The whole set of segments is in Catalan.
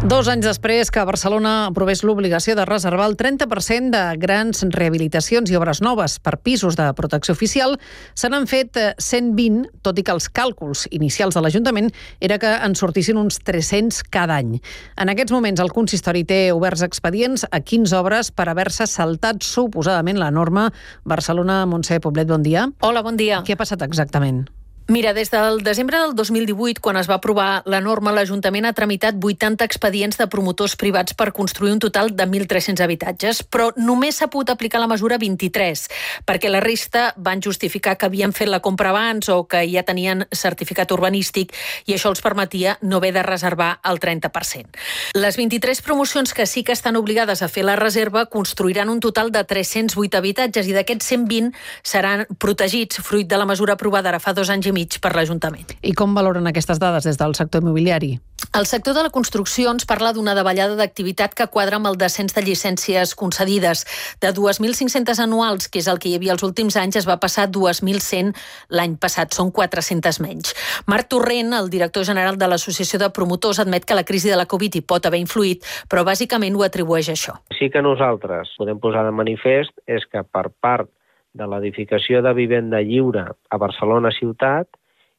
2 anys després que Barcelona aprovés l'obligació de reservar el 30% de grans rehabilitacions i obres noves per pisos de protecció oficial, se n'han fet 120, tot i que els càlculs inicials de l'Ajuntament era que en sortissin uns 300 cada any. En aquests moments el consistori té oberts expedients a 15 obres per haver-se saltat suposadament la norma. Barcelona, Montse Poblet, bon dia. Hola, bon dia. Què ha passat exactament? Mira, des del desembre del 2018, quan es va aprovar la norma, l'Ajuntament ha tramitat 80 expedients de promotors privats per construir un total de 1.300 habitatges, però només s'ha pogut aplicar la mesura 23, perquè la resta van justificar que havien fet la compra abans o que ja tenien certificat urbanístic i això els permetia no haver de reservar el 30%. Les 23 promocions que sí que estan obligades a fer la reserva construiran un total de 308 habitatges i d'aquests 120 seran protegits fruit de la mesura aprovada ara fa 2 anys i mig per l'Ajuntament. I com valoren aquestes dades des del sector immobiliari? El sector de la construcció ens parla d'una davallada d'activitat que quadra amb el descens de llicències concedides. De 2.500 anuals, que és el que hi havia els últims anys, es va passar a 2.100 l'any passat. Són 400 menys. Marc Torrent, el director general de l'Associació de Promotors, admet que la crisi de la Covid hi pot haver influït, però bàsicament ho atribueix a això. Sí que nosaltres podem posar de manifest és que per part de l'edificació de vivenda lliure a Barcelona ciutat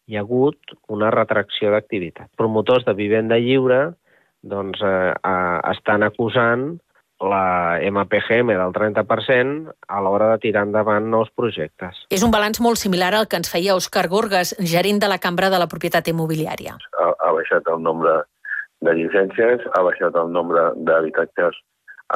hi ha hagut una retracció d'activitat. Promotors de vivenda lliure estan acusant la MPGM del 30% a l'hora de tirar endavant nous projectes. És un balanç molt similar al que ens feia Òscar Gorgas, gerent de la Cambra de la Propietat Immobiliària. Ha baixat el nombre de llicències, ha baixat el nombre d'habitatges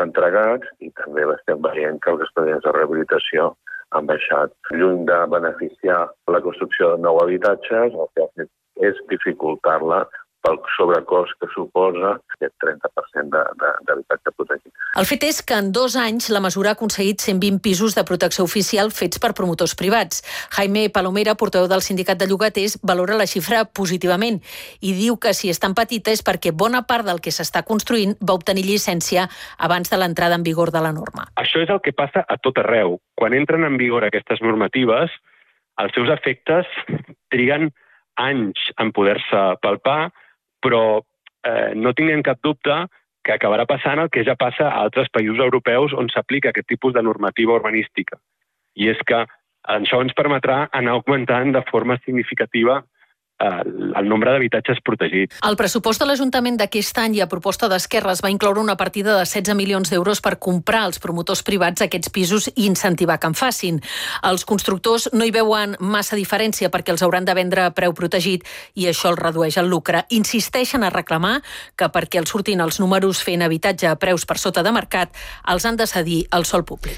entregats i també l'estem veient que els expedients de rehabilitació han baixat. Lluny de beneficiar la construcció de nous habitatges, el que ha fet és dificultar-la pel sobrecost que suposa aquest 30% d'habitatge protegit. El fet és que en 2 anys la mesura ha aconseguit 120 pisos de protecció oficial fets per promotors privats. Jaime Palomera, portaveu del sindicat de llogaters, valora la xifra positivament i diu que si és tan petita és perquè bona part del que s'està construint va obtenir llicència abans de l'entrada en vigor de la norma. Això és el que passa a tot arreu. Quan entren en vigor aquestes normatives, els seus efectes triguen anys en poder-se palpar, però no tinguem cap dubte que acabarà passant el que ja passa a altres països europeus on s'aplica aquest tipus de normativa urbanística. I és que això ens permetrà anar augmentant de forma significativa el nombre d'habitatges protegits. El pressupost de l'Ajuntament d'aquest any i a proposta d'Esquerres va incloure una partida de 16 milions d'euros per comprar als promotors privats aquests pisos i incentivar que en facin. Els constructors no hi veuen massa diferència perquè els hauran de vendre a preu protegit i això el redueix el lucre. Insisteixen a reclamar que perquè els surtin els números fent habitatge a preus per sota de mercat els han de cedir al sòl públic.